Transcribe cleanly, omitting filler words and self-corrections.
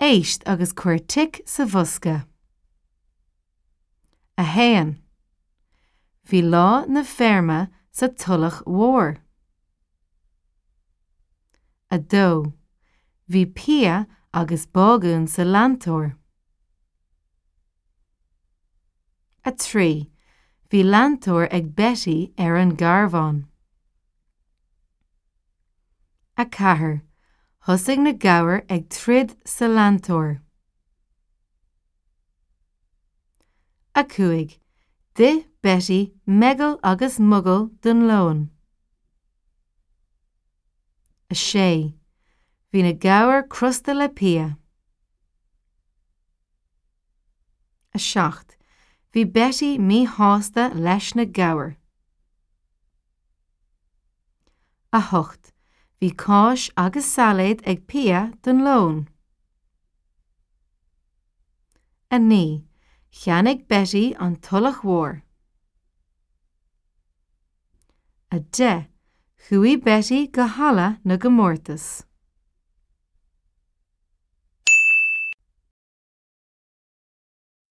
Éist agus cuir tic sa bhosca. 1. Bhí lá na feirme sa Tulach Mhór. 2. Bhí Pia agus Bágún sa leantóir. 3. Bhí leantóir ag Betty ar an gcarbhán. 4. Thosaigh na gabhair ag troid sa leantóir. 5. D'ith Betty meigeall agus mogall don lón. 6. Bhí na gabhair crosta le Pia. 7. Bhí Betty míshásta leis na gabhair. 8. Bhí cáis agus sailéad ag Pia don lón. 9. Cheannaigh Betty an Tulach Mhór. 10. Chuaigh Betty go halla na gcomórtas.